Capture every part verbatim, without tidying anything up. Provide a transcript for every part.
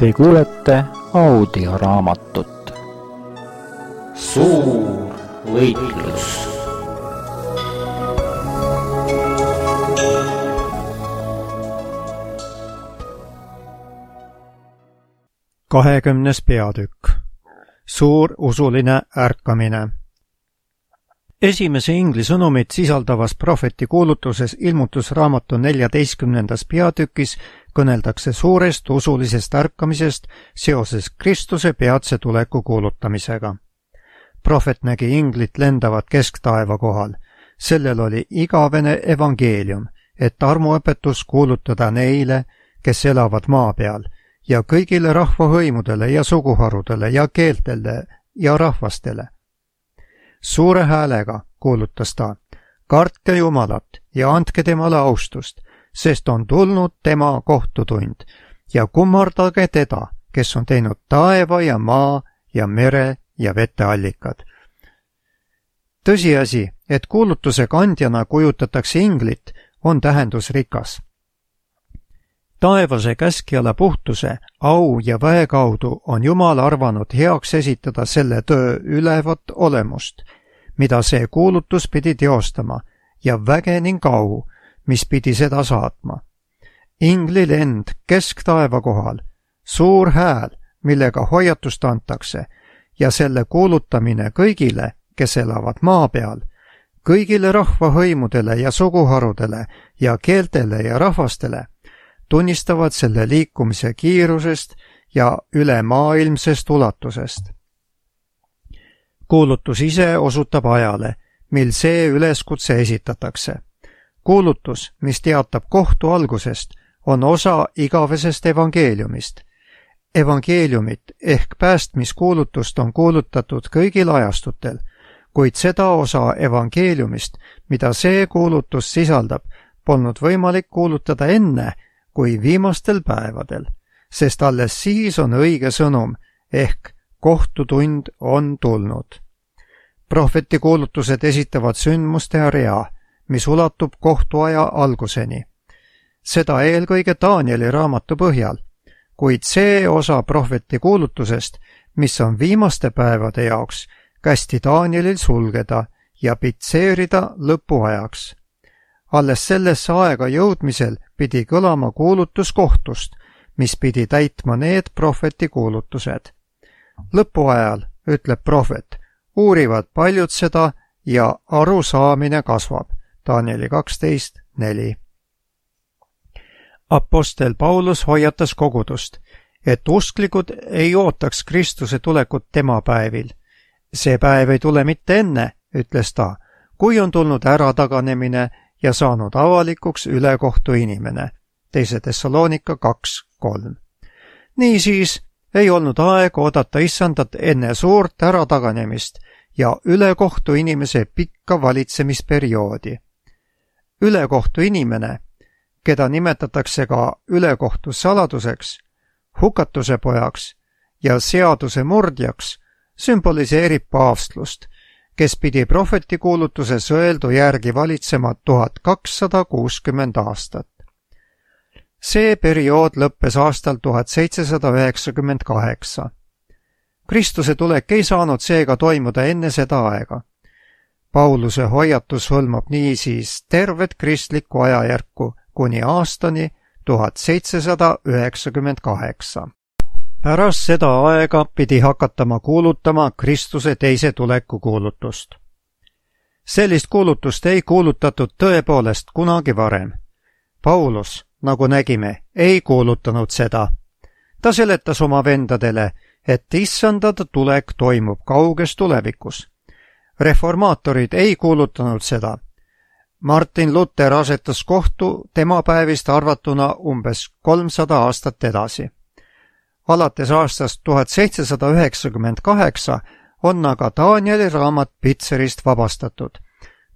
Te kuulete audioraamatut Suur võitlus. kahekümnes peatükk. Suur usuline ärkamine. Esimese ingli sõnumit sisaldavas prohveti kuulutuses ilmutusraamatu neljateistkümnendas peatükis kõneldakse suurest usulisest ärkamisest seoses Kristuse peatse tuleku kuulutamisega. Prohvet nägi inglit lendavat kesktaeva kohal. Sellel oli igavene evangeelium, et armuõpetus kuulutada neile, kes elavad maa peal, ja kõigile rahvahõimudele ja suguharudele ja keeltele ja rahvastele. Suure häälega kuulutas ta, kartke Jumalat ja andke temale austust, sest on tulnud tema kohtutund ja kummardage teda, kes on teinud taeva ja maa ja mere ja veteallikad. Tõsiasi, et kuulutuse kandjana kujutatakse inglit, on tähendusrikas. Taevase käskjala puhtuse, au ja väe kaudu on Jumal arvanud heaks esitada selle töö ülevat olemust, mida see kuulutus pidi teostama, ja väge ning au, mis pidi seda saatma. Ingli lend kesktaeva kohal, suur hääl, millega hoiatust antakse, ja selle kuulutamine kõigile, kes elavad maa peal, kõigile rahvahõimudele ja suguharudele ja keeltele ja rahvastele, tunnistavad selle liikumise kiirusest ja ülemaailmsest ulatusest. Kuulutus ise osutab ajale, mil see üleskutse esitatakse. Kuulutus, mis teatab kohtu algusest, on osa igavesest evangeeliumist. Evangeeliumit ehk päästmiskuulutust on kuulutatud kõigil ajastutel, kuid seda osa evangeeliumist, mida see kuulutus sisaldab, polnud võimalik kuulutada enne, kui viimastel päevadel, sest alles siis on õige sõnum, ehk kohtutund on tulnud. Prohveti kuulutused esitavad sündmuste rea, mis ulatub kohtuaja alguseni. Seda eelkõige Danieli raamatu põhjal, kuid see osa prohveti kuulutusest, mis on viimaste päevade jaoks, kästi Danielil sulgeda ja pitseerida lõpuajaks. Alles sellesse aega jõudmisel pidi kõlama kuulutus kohtust, mis pidi täitma need prohveti kuulutused. Lõpuajal, ütleb prohvet, uurivad paljud seda ja arusaamine kasvab. Danieli kaksteist neli. Apostel Paulus hoiatas kogudust, et usklikud ei ootaks Kristuse tulekut tema päevil. See päev ei tule mitte enne, ütles ta, kui on tulnud ärataganemine ja saanud avalikuks ülekohtu inimene. Teise Tessaloonika kaks kolm. Niisiis ei olnud aeg oodata issandat enne suurt ärataganemist ja ülekohtu inimese pikka valitsemisperioodi. Ülekohtu inimene, keda nimetatakse ka ülekohtu saladuseks, hukatuse pojaks ja seaduse murdjaks, sümboliseerib paavstlust, kes pidi prohveti kuulutuses öeldu järgi valitsema tuhat kakssada kuuskümmend aastat. See periood lõppes aastal tuhat seitsesada üheksakümmend kaheksa. Kristuse tulek ei saanud seega toimuda enne seda aega. Pauluse hoiatus hõlmab niisiis tervet kristlikku ajajärku kuni aastani tuhat seitsesada üheksakümmend kaheksa. Pärast seda aega pidi hakatama kuulutama Kristuse teise tuleku kuulutust. Sellist kuulutust ei kuulutatud tõepoolest kunagi varem. Paulus, nagu nägime, ei kuulutanud seda. Ta seletas oma vendadele, et issandad tulek toimub kauges tulevikus. Reformaatorid ei kuulutanud seda. Martin Luther asetas kohtu tema päevist arvatuna umbes kolmsada aastat edasi. Alates aastast tuhat seitsesada üheksakümmend kaheksa on aga Danieli raamat pitserist vabastatud.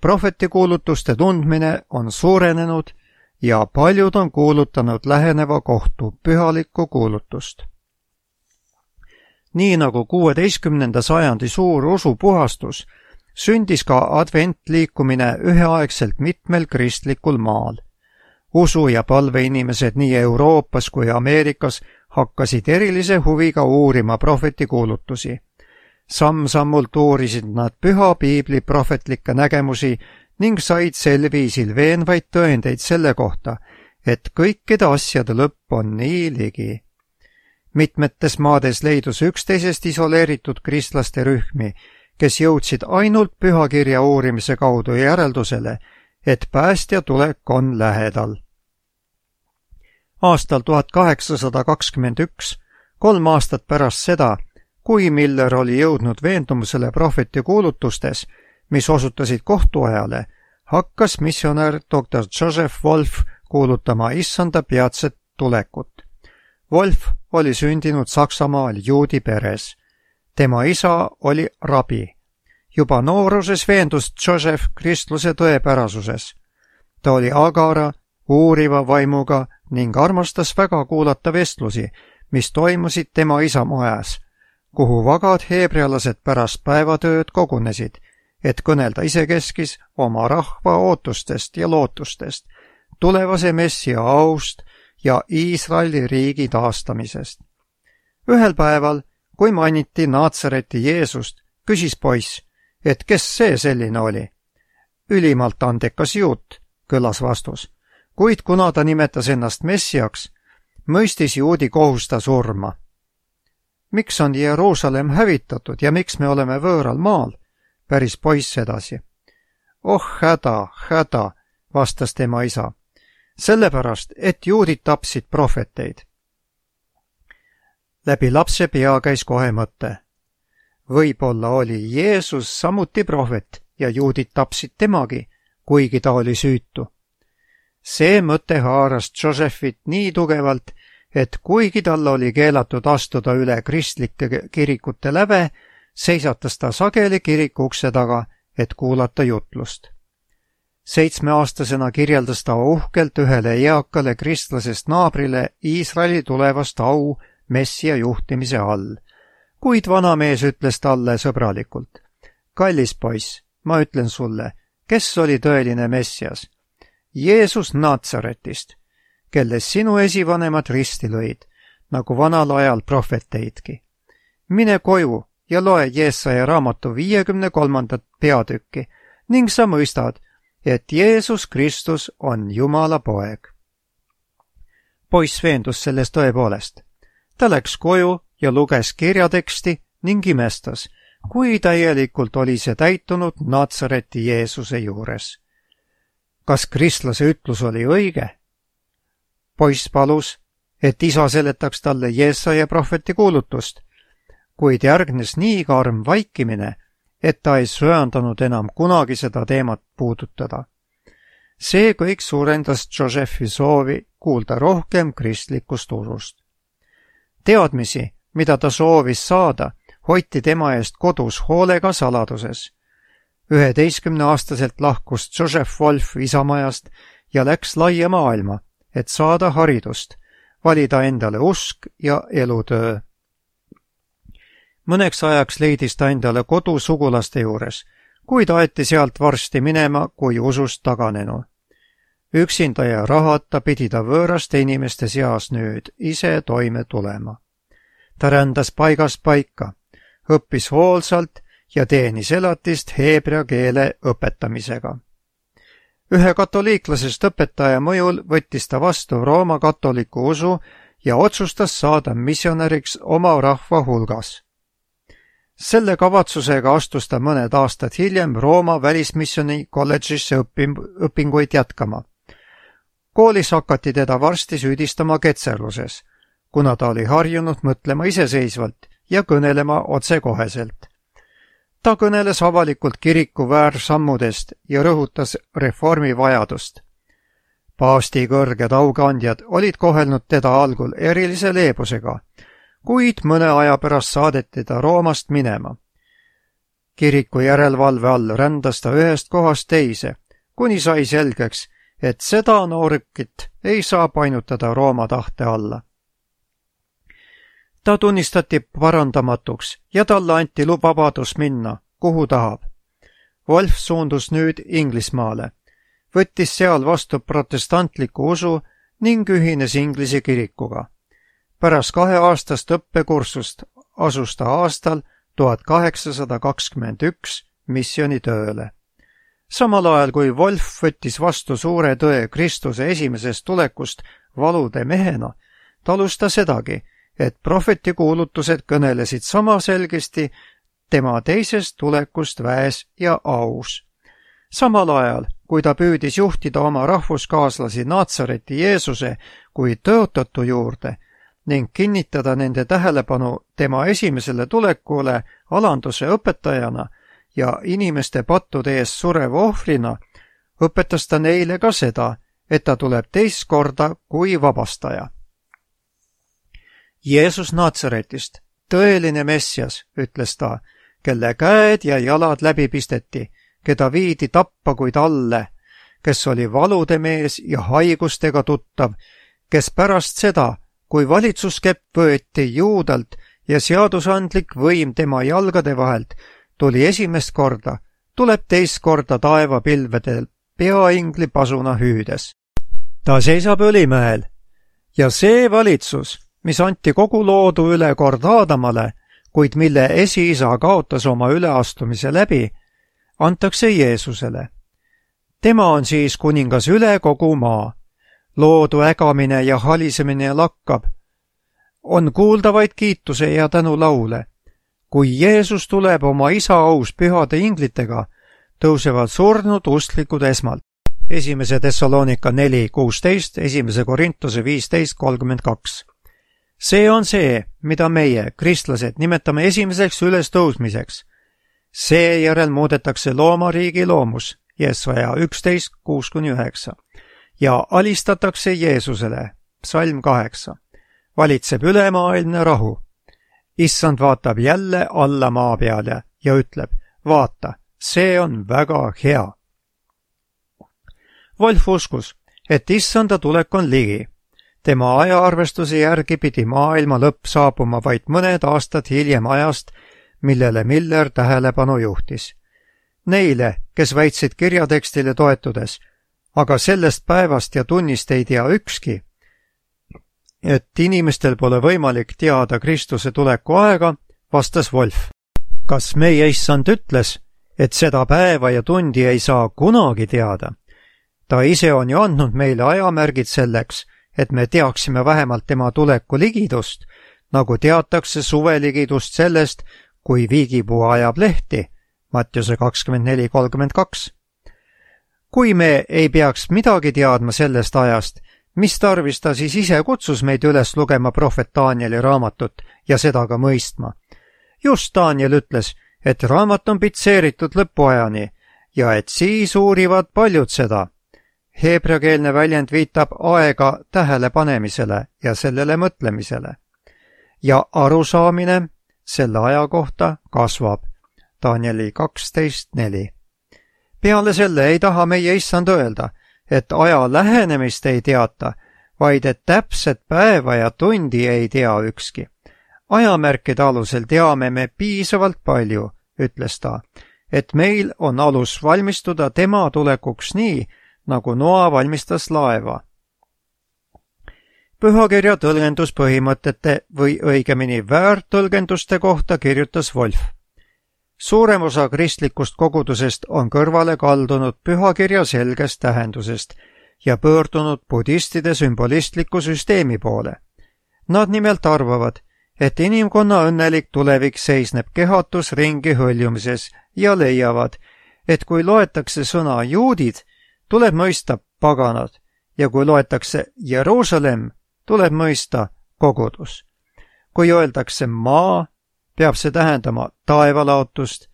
Prohveti kuulutuste tundmine on suurenenud ja paljud on kuulutanud läheneva kohtu pühalikku kuulutust. Nii nagu kuueteistkümnenda sajandi suur usupuhastus, sündis ka adventliikumine üheaegselt mitmel kristlikul maal. usu- ja palveinimesed nii Euroopas kui Ameerikas hakkasid erilise huviga uurima prohveti kuulutusi. Samm-sammult uurisid nad püha piibli prohvetlikke nägemusi ning said sel viisil veenvaid tõendeid selle kohta, et kõikide asjade lõpp on nii ligi. Mitmetes maades leidus üksteisest isoleeritud kristlaste rühmi, kes jõudsid ainult pühakirja uurimise kaudu järeldusele, et päästja tulek on lähedal. Aastal tuhat kaheksasada kakskümmend üks, kolm aastat pärast seda, kui Miller oli jõudnud veendumusele prohveti kuulutustes, mis osutasid kohtuajale, hakkas missionär doktor Joseph Wolf kuulutama issanda peatset tulekut. Wolf oli sündinud Saksamaal juudi peres. Tema isa oli rabi. Juba nooruses veendus Joseph kristluse tõepärasuses. Ta oli agara, uuriva vaimuga ning armastas väga kuulata vestlusi, mis toimusid tema isa majas, kuhu vagad heebrealased pärast päevatööd kogunesid, et kõnelda isekeskis oma rahva ootustest ja lootustest, tulevase messia aust ja Iisraeli riigi taastamisest. Ühel päeval, kui mainiti Naatsareti Jeesust, küsis poiss, et kes see selline oli. Ülimalt andekas juut, kõlas vastus, kuid kuna ta nimetas ennast messiaks, mõistis juudi kohus ta surma. Miks on Jeruusalemm hävitatud ja miks me oleme võõral maal? Päris poiss edasi. Oh häda, häda, vastas tema isa. Sellepärast, et juudid tapsid prohveteid. Läbi lapse pea käis kohe mõte. Võib-olla oli Jeesus samuti prohvet ja juudid tapsid temagi, kuigi ta oli süütu. See mõte haaras Josephit nii tugevalt, et kuigi tal oli keelatud astuda üle kristlike kirikute läve, seisatas ta sageli kiriku ukse taga, et kuulata jutlust. Seitsmeaastasena kirjeldas ta uhkelt ühele eakale kristlasest naabrile Iisraeli tulevast au messia juhtimise all, kuid vanamees ütles talle sõbralikult. Kallis poiss, ma ütlen sulle, kes oli tõeline messias? Jeesus Naatsaretist, kelles sinu esivanemad risti lõid, nagu vanal ajal prohveteidki. Mine koju ja loe Jeesaja raamatu viiekümne kolmandat peatükki ning sa mõistad, et Jeesus Kristus on Jumala poeg. Poiss veendus sellest tõepoolest. Ta läks koju ja luges kirjateksti ning imestas, kui täielikult oli see täitunud Naatsareti Jeesuse juures. Kas kristlase ütlus oli õige? Poiss palus, et isa seletaks talle Jeesaja prohveti kuulutust, kuid järgnes nii karm vaikimine, et ta ei söandanud enam kunagi seda teemat puudutada. See kõik suurendas Josephi soovi kuulda rohkem kristlikust usust. Teadmisi, mida ta soovis saada, hoiti tema eest kodus hoolega saladuses. üheteistkümneaastaselt lahkus Joseph Wolf isamajast ja läks laia maailma, et saada haridust, valida endale usk ja elutöö. Mõneks ajaks leidis ta endale kodu sugulaste juures, kuid aeti sealt varsti minema kui usust taganenu. Üksinda ja rahata pidi ta võõraste inimeste seas nüüd ise toime tulema. Ta rändas paigast paika, õppis hoolsalt ja teenis elatist heebrea keele õpetamisega. Ühe katoliiklasest õpetaja mõjul võttis ta vastu Rooma katoliku usu ja otsustas saada missionäriks oma rahva hulgas. Selle kavatsusega astus ta mõned aastad hiljem Rooma välismissioni kolledžisse õpinguid jätkama. Koolis hakati teda varsti süüdistama ketserluses, kuna ta oli harjunud mõtlema iseseisvalt ja kõnelema otsekoheselt. Ta kõneles avalikult kiriku väärsammudest ja rõhutas reformi vajadust. Paavsti kõrged aukandjad olid kohelnud teda algul erilise leebusega, kuid mõne aja pärast saadeti ta Roomast minema. Kiriku järelevalve all rändas ta ühest kohast teise, kuni sai selgeks, et seda noorukit ei saa painutada Rooma tahte alla. Ta tunnistati parandamatuks ja talle anti vabadus minna, kuhu tahab. Wolf suundus nüüd Inglismaale. võttis seal vastu protestantliku usu ning ühines Inglise kirikuga. Pärast kaheaastast õppekursust asus ta aastal tuhat kaheksasada kakskümmend üks missioonitööle. Samal ajal, kui Wolf võttis vastu suure tõe Kristuse esimesest tulekust valude mehena, talus ta sedagi, et prohveti kuulutused kõnelesid sama selgesti tema teisest tulekust väes ja aus. Samal ajal, kui ta püüdis juhtida oma rahvuskaaslasi Naatsareti Jeesuse kui tõotatu juurde ning kinnitada nende tähelepanu tema esimesele tulekule alanduse õpetajana ja inimeste pattude eest sureva ohvrina, õpetas ta neile ka seda, et ta tuleb teist korda kui vabastaja. Jeesus Naatsaretist, tõeline Messias, ütles ta, kelle käed ja jalad läbi pisteti, keda viidi tappa kui talle, kes oli valude mees ja haigustega tuttav, kes pärast seda, kui valitsuskepp võeti Juudalt ja seadusandlik võim tema jalgade vahelt, tuli esimest korda, tuleb teist korda taevapilvedel peaingli pasuna hüüdes. Ta seisab Õlimäel ja see valitsus, mis anti kogu loodu üle kord Aadamale, kuid mille esiisa kaotas oma üleastumise läbi, antakse Jeesusele. Tema on siis kuningas üle kogu maa. Loodu ägamine ja halisemine lakkab. On kuulda vaid kiituse ja tänulaule. Kui Jeesus tuleb oma isa aus pühade inglitega, tõusevad surnud usklikud esmalt. Esimese Thessalonika neli kuusteist, esimese Korintuse viisteist kolmkümmend kaks. See on see, mida meie, kristlased, nimetame esimeseks ülestõusmiseks. Seejärel muudetakse loomariigi loomus, Jesaja üksteist kuus kuni üheksa, ja alistatakse Jeesusele, psalm kaheksa. Valitseb ülemaailmne rahu. Issand vaatab jälle alla maa peale ja ütleb, vaata, see on väga hea. Wolf uskus, et issanda tulek on ligi. Tema ajaarvestuse järgi pidi maailma lõpp saabuma vaid mõned aastad hiljem ajast, millele Miller tähelepanu juhtis. Neile, kes väitsid kirjatekstile toetudes, aga sellest päevast ja tunnist ei tea ükski, et inimestel pole võimalik teada Kristuse tuleku aega, vastas Wolf. Kas meie issand ütles, et seda päeva ja tundi ei saa kunagi teada? Ta ise on ju andnud meile ajamärgid selleks, et me teaksime vähemalt tema tuleku ligidust, nagu teatakse suveligidust sellest, kui viigipuu ajab lehti, Mattiuse kakskümmend neli kolmkümmend kaks. Kui me ei peaks midagi teadma sellest ajast, mis tarvis ta siis ise kutsus meid üles lugema prohvet Danieli raamatut ja seda ka mõistma? Just Daniel ütles, et raamat on pitseeritud lõpuajani ja et siis uurivad paljud seda. Heebreakeelne väljend viitab aega tähelepanemisele ja sellele mõtlemisele. Ja arusaamine selle aja kohta kasvab. Danieli kaksteist neli. Peale selle ei taha meie issand öelda, et aja lähenemist ei teata, vaid et täpset päeva ja tundi ei tea ükski. Ajamärkide alusel teame me piisavalt palju, ütles ta, et meil on alus valmistuda tema tulekuks nii, nagu Noa valmistas laeva. Pühakirja tõlgenduspõhimõtete või õigemini väärtõlgenduste kohta kirjutas Wolf. Suurem osa kristlikust kogudusest on kõrvale kaldunud pühakirja selgest tähendusest ja pöördunud budistide sümbolistliku süsteemi poole. Nad nimelt arvavad, et inimkonna õnnelik tulevik seisneb kehatus ringi hõljumises ja leiavad, et kui loetakse sõna juudid, tuleb mõista paganad ja kui loetakse Jeruusalemm, tuleb mõista kogudus. Kui öeldakse maa, peab see tähendama taevalaotust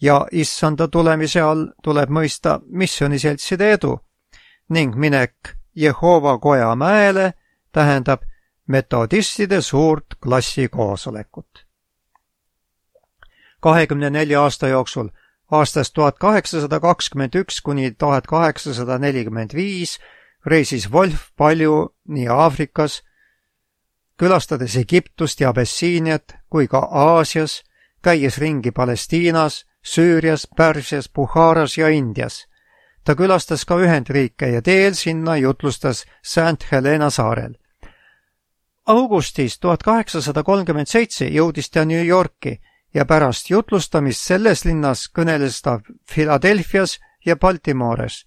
ja issanda tulemise all tuleb mõista missiooniseltside edu ning minek Jehova koja mäele tähendab metodistide suurt klassikoosolekut. kahekümne nelja aasta jooksul aastast tuhat kaheksasada kakskümmend üks kuni tuhat kaheksasada nelikümmend viis reisis Wolf palju nii Aafrikas, külastades Egiptust ja Abessiiniat kui ka Aasias, käies ringi Palestiinas, Süürias, Pärsias, Bukharas ja Indias. ta külastas ka Ühendriike ja teel sinna jutlustas Saint Helena saarel. Augustis tuhat kaheksasada kolmkümmend seitse jõudis ta New Yorki ja pärast jutlustamist selles linnas kõneles ta Philadelphias ja Baltimores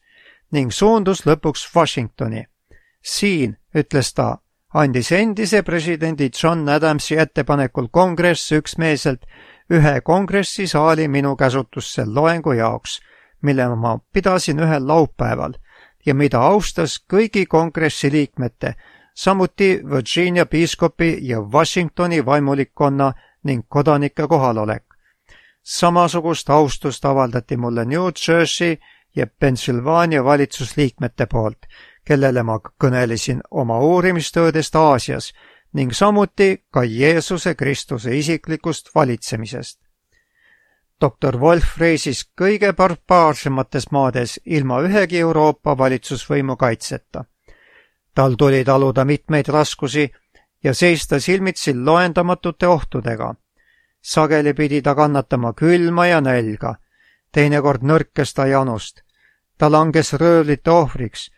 ning suundus lõpuks Washingtoni. Siin, ütles ta, andis endise presidendi John Adamsi ettepanekul kongress üksmeelselt ühe kongressisaali minu käsutusse loengu jaoks, mille ma pidasin ühel laupäeval ja mida austas kõigi kongressi liikmete, samuti Virginia piiskopi ja Washingtoni vaimulikkonna ning kodanike kohalolek. Samasugust austust avaldati mulle New Jersey ja Pennsylvania valitsusliikmete poolt, kellele ma kõnelesin oma uurimistöödest Aasias ning samuti ka Jeesuse Kristuse isiklikust valitsemisest. doktor Wolf reisis kõige barbaarsemates maades ilma ühegi Euroopa valitsusvõimu kaitseta. Tal tuli taluda mitmeid raskusi ja seista silmitsi loendamatute ohtudega. Sageli pidi ta kannatama külma ja nälga, teinekord nõrkes ta janust. Ta langes röövlite ohvriks,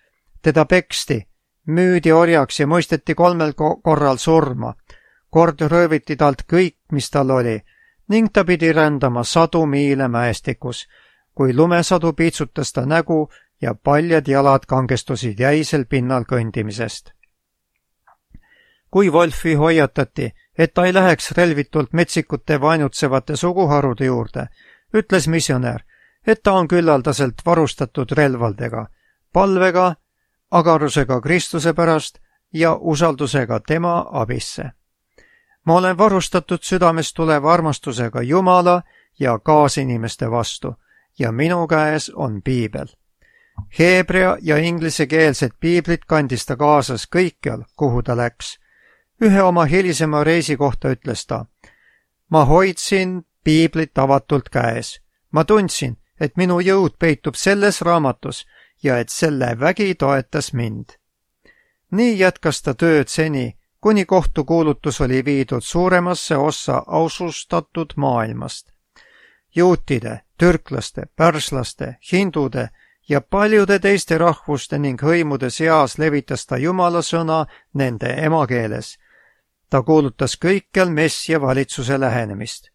teda peksti, müüdi orjaks ja mõisteti kolmel korral surma. Kord rööviti talt kõik, mis tal oli, ning ta pidi rändama sadu miile mäestikus, kui lumesadu piitsutas ta nägu ja paljad jalad kangestusid jäisel pinnal kõndimisest. Kui Wolfi hoiatati, et ta ei läheks relvitult metsikute vaenutsevate suguharude juurde, ütles missionär, et ta on küllaldaselt varustatud relvaldega, palvega, agarusega Kristuse pärast ja usaldusega tema abisse. Ma olen varustatud südamest tuleva armastusega Jumala ja kaasinimeste vastu ja minu käes on piibel. Heebrea ja inglisekeelsed piiblid kandis ta kaasas kõikjal, kuhu ta läks. Ühe oma hilisema reisi kohta ütles ta, ma hoidsin piiblit avatult käes. Ma tundsin, et minu jõud peitub selles raamatus ja et selle vägi toetas mind. Nii jätkas ta tööd seni, kuni kohtukuulutus oli viidud suuremasse ossa ausustatud maailmast. Juutide, türklaste, pärslaste, hindude ja paljude teiste rahvuste ning hõimude seas levitas ta Jumala sõna nende emakeeles. Ta kuulutas kõikjal messia valitsuse lähenemist.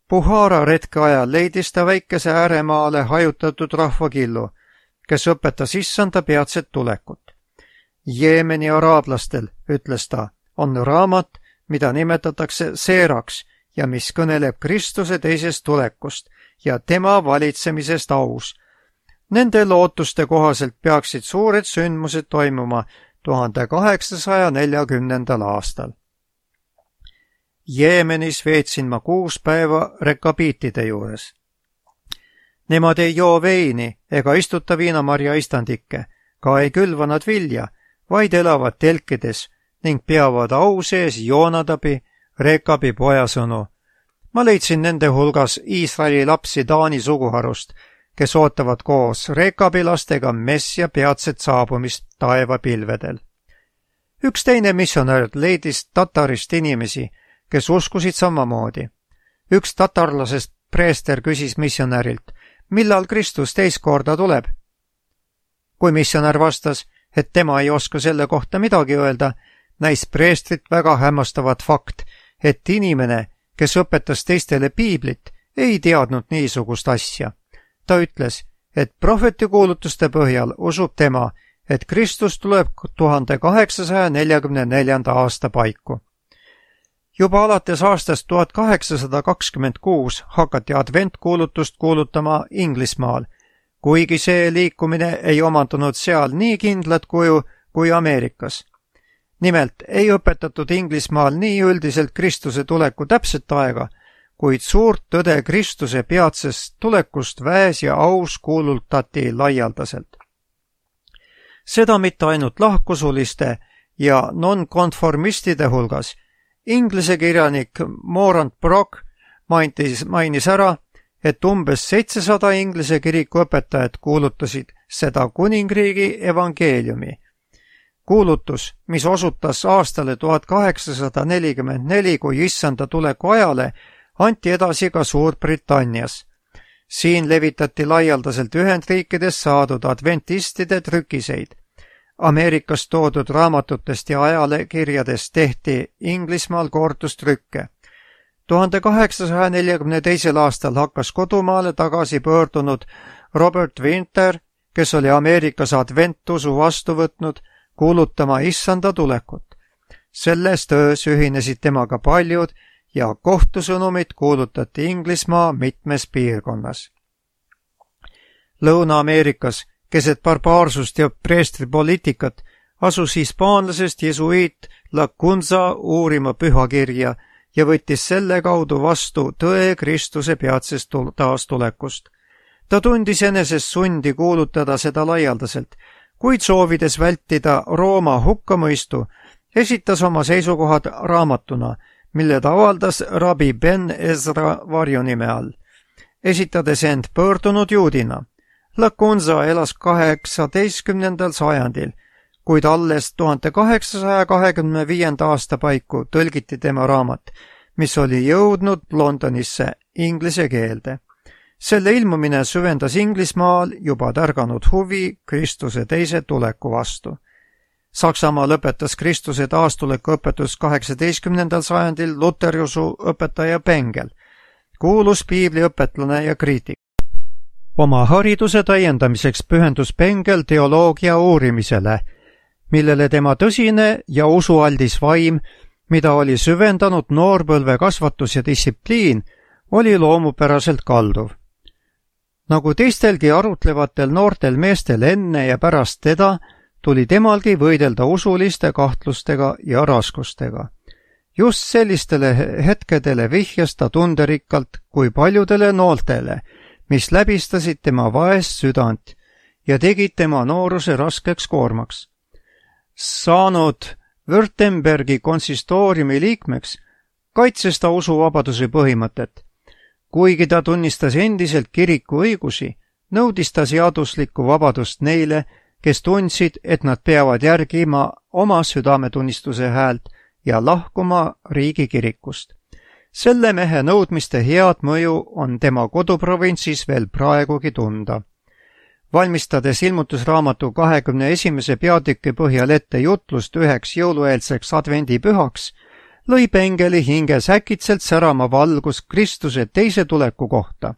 Buhara retke ajal leidis ta väikese ääremaale hajutatud rahvakillu, kes õpetas issanda peatset tulekut. Jeemeni araablastel, ütles ta, on raamat, mida nimetatakse seeraks ja mis kõneleb Kristuse teisest tulekust ja tema valitsemisest aus. Nende lootuste kohaselt peaksid suured sündmused toimuma tuhande kaheksasaja neljakümnendal aastal. Jeemenis veetsin ma kuus päeva rekabiitide juures. Nemad ei joo veini ega istuta viinamarja istandikke, ka ei külva nad vilja, vaid elavad telkides ning peavad au sees Joonadabi, Rekabi pojasõnu. Ma leidsin nende hulgas Iisraeli lapsi Taani suguharust, kes ootavad koos Rekabi lastega messia peatset saabumist taevapilvedel. Üks teine missionär leidis tatarist inimesi, kes uskusid samamoodi. Üks tatarlasest preester küsis missionärilt, millal Kristus teist korda tuleb. Kui missionär vastas, et tema ei oska selle kohta midagi öelda, näis preestrit väga hämmastavat fakt, et inimene, kes õpetas teistele piiblit, ei teadnud niisugust asja. Ta ütles, et prohvetikuulutuste põhjal usub tema, et Kristus tuleb tuhande kaheksasaja neljakümne neljanda aasta paiku. Juba alates aastast tuhat kaheksasada kakskümmend kuus hakati adventkuulutust kuulutama Inglismaal, kuigi see liikumine ei omandunud seal nii kindlat kuju kui Ameerikas. Nimelt ei õpetatud Inglismaal nii üldiselt Kristuse tuleku täpset aega, kuid suurt tõde Kristuse peatsest tulekust väes ja aus kuulutati laialdaselt. Seda mitte ainult lahkusuliste ja nonkonformistide hulgas. Inglise kirjanik Morant Brock mainis, mainis ära, et umbes seitsesada inglise kiriku õpetajad kuulutasid seda kuningriigi evangeeliumi. Kuulutus, mis osutas aastale tuhat kaheksasada nelikümmend neli kui issanda tuleku ajale, anti edasi ka Suurbritannias. siin levitati laialdaselt Ühendriikides saadud adventistide trükiseid. Ameerikast toodud raamatutest ja ajalekirjadest tehti Inglismaal kordustrükke. tuhande kaheksasaja neljakümne teisel aastal hakkas kodumaale tagasi pöördunud Robert Winter, kes oli Ameerikas adventusu vastu võtnud, kuulutama issanda tulekut. Selles töös ühinesid temaga paljud ja kohtusõnumit kuulutati Inglismaa mitmes piirkonnas. Lõuna-Ameerikas keset barbaarsust ja preestripoliitikat asus hispaanlasest jesuiit Lacunza uurima pühakirja ja võttis selle kaudu vastu tõe Kristuse peatsest taastulekust. Ta tundis enesest sundi kuulutada seda laialdaselt, kuid soovides vältida Rooma hukkamõistu, esitas oma seisukohad raamatuna, mille ta avaldas rabi Ben Ezra varjunime all, esitades end pöördunud juudina. Lacunza elas kaheksateistkümnendal sajandil, kuid alles tuhande kaheksasaja kahekümne viienda aasta paiku tõlgiti tema raamat, mis oli jõudnud Londonisse inglise keelde. Selle ilmumine süvendas Inglismaal juba tärganud huvi Kristuse teise tuleku vastu. Saksamaa lõpetas Kristuse taastuleku õpetus kaheksateistkümnendal sajandil luteriusu õpetaja Bengel, kuulus piibliõpetlane ja kriitik. Oma hariduse täiendamiseks pühendus Bengel teoloogia uurimisele, millele tema tõsine ja usualdis vaim, mida oli süvendanud noorpõlve kasvatus ja distsipliin, oli loomupäraselt kalduv. Nagu teistelgi arutlevatel noortel meestel enne ja pärast teda, tuli temalgi võidelda usuliste kahtlustega ja raskustega. Just sellistele hetkedele vihjas ta tunderikkalt kui paljudele nooltele, mis läbistasid tema vaest südant ja tegid tema nooruse raskeks koormaks. Saanud Württembergi konsistooriumi liikmeks, kaitses ta usuvabaduse põhimõtet. Kuigi ta tunnistas endiselt kiriku õigusi, nõudis ta seaduslikku vabadust neile, kes tundsid, et nad peavad järgima oma südametunnistuse häält ja lahkuma riigikirikust. Selle mehe nõudmiste head mõju on tema koduprovintsis veel praegugi tunda. Valmistades ilmutusraamatu kahekümne esimese peatüki põhjal ette jutlust üheks jõulueelseks advendipühaks, lõi Bengeli hinges äkitselt särama valgus Kristuse teise tuleku kohta.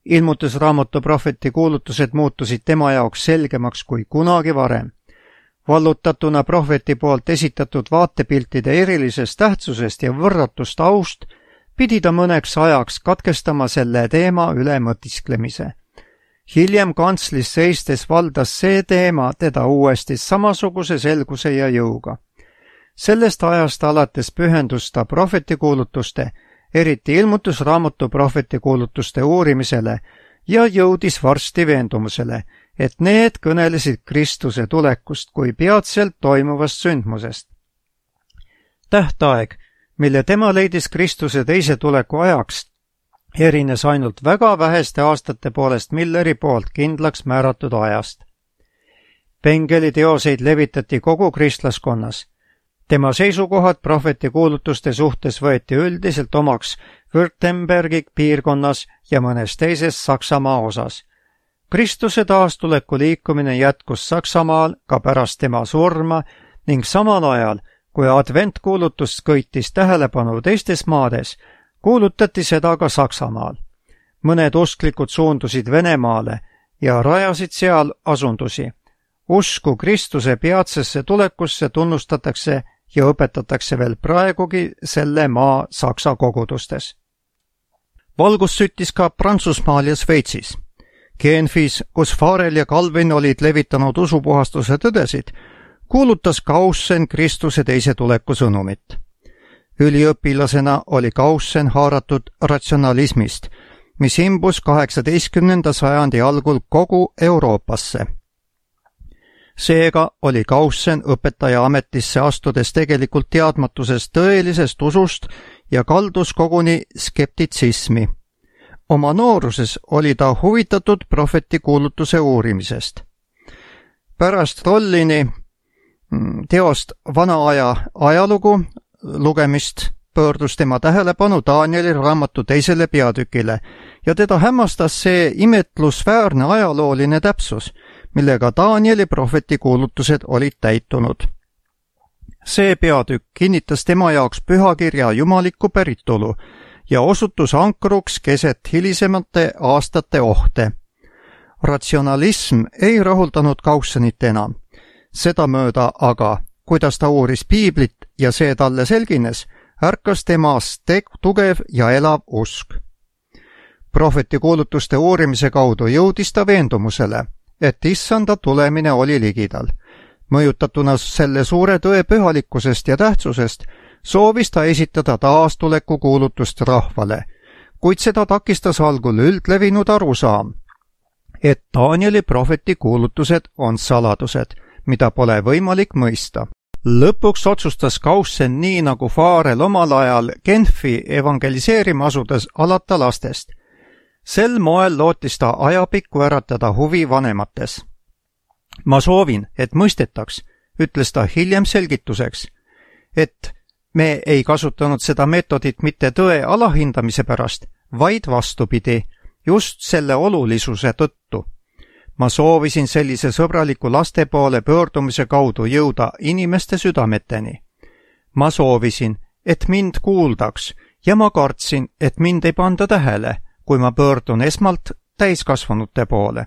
Ilmutusraamatu prohveti kuulutused muutusid tema jaoks selgemaks kui kunagi varem. Vallutatuna prohveti poolt esitatud vaatepiltide erilisest tähtsusest ja võrratust aust, pidi ta mõneks ajaks katkestama selle teema üle mõtisklemise. Hiljem kantslis seistes valdas see teema teda uuesti samasuguse selguse ja jõuga. Sellest ajast alates pühendus ta prohvetikuulutuste, eriti ilmutusraamatu prohvetikuulutuste uurimisele ja jõudis varsti veendumusele, et need kõnelesid Kristuse tulekust kui peatselt toimuvast sündmusest. Tähtaeg, mille tema leidis Kristuse teise tuleku ajaks, erines ainult väga väheste aastate poolest Milleri poolt kindlaks määratud ajast. Bengeli teoseid levitati kogu kristlaskonnas. Tema seisukohad prohvetikuulutuste suhtes võeti üldiselt omaks Württembergi piirkonnas ja mõnes teises Saksamaa osas. Kristuse taastuleku liikumine jätkus Saksamaal ka pärast tema surma ning samal ajal, kui adventkuulutus kõitis tähelepanu teistes maades, kuulutati seda ka Saksamaal. Mõned usklikud suundusid Venemaale ja rajasid seal asundusi. Usku Kristuse peatsesse tulekusse tunnustatakse ja õpetatakse veel praegugi selle maa saksa kogudustes. Valgus süttis ka Prantsusmaal ja Sveitsis. Genfis, kus Farel ja Calvin olid levitanud usupuhastuse tõdesid, kuulutas Kaussen Kristuse teise tuleku sõnumit. Üliõpilasena oli Kaussen haaratud ratsionalismist, mis imbus kaheksateistkümnenda sajandi algul kogu Euroopasse. Seega oli Kaussen õpetaja ametisse astudes tegelikult teadmatusest tõelisest usust ja kaldus koguni skeptitsismi. Oma nooruses oli ta huvitatud prohvetikuulutuse uurimisest. Pärast Rollini teost Vana aja ajalugu lugemist pöördus tema tähelepanu Danieli raamatu teisele peatükile ja teda hämmastas see imetlusväärne ajalooline täpsus, millega Danieli prohveti kuulutused olid täitunud. See peatükk kinnitas tema jaoks pühakirja jumalikku päritolu ja osutus ankruks keset hilisemate aastate ohte. Ratsionalism ei rahuldanud Kaussenit enam. Sedamööda aga, kuidas ta uuris piiblit ja see talle selgines, ärkas temas tugev ja elav usk. Prohveti kuulutuste uurimise kaudu jõudis ta veendumusele, et issanda tulemine oli ligidal. Mõjutatuna selle suure tõe pühalikkusest ja tähtsusest, soovis ta esitada taastuleku kuulutust rahvale, kuid seda takistas algul üldlevinud arusaam, et Danieli prohveti kuulutused on saladused, mida pole võimalik mõista. Lõpuks otsustas Kaussen nii nagu Farel omal ajal Genfi evangeliseerima asudes alata lastest. Sel moel lootis ta ajapikku äratada huvi vanemates. Ma soovin, et mõistetaks, ütles ta hiljem selgituseks, et me ei kasutanud seda meetodit mitte tõe alahindamise pärast, vaid vastupidi, just selle olulisuse tõttu. Ma soovisin sellise sõbraliku laste poole pöördumise kaudu jõuda inimeste südameteni. Ma soovisin, et mind kuuldaks ja ma kartsin, et mind ei panda tähele, kui ma pöördun esmalt täiskasvanute poole.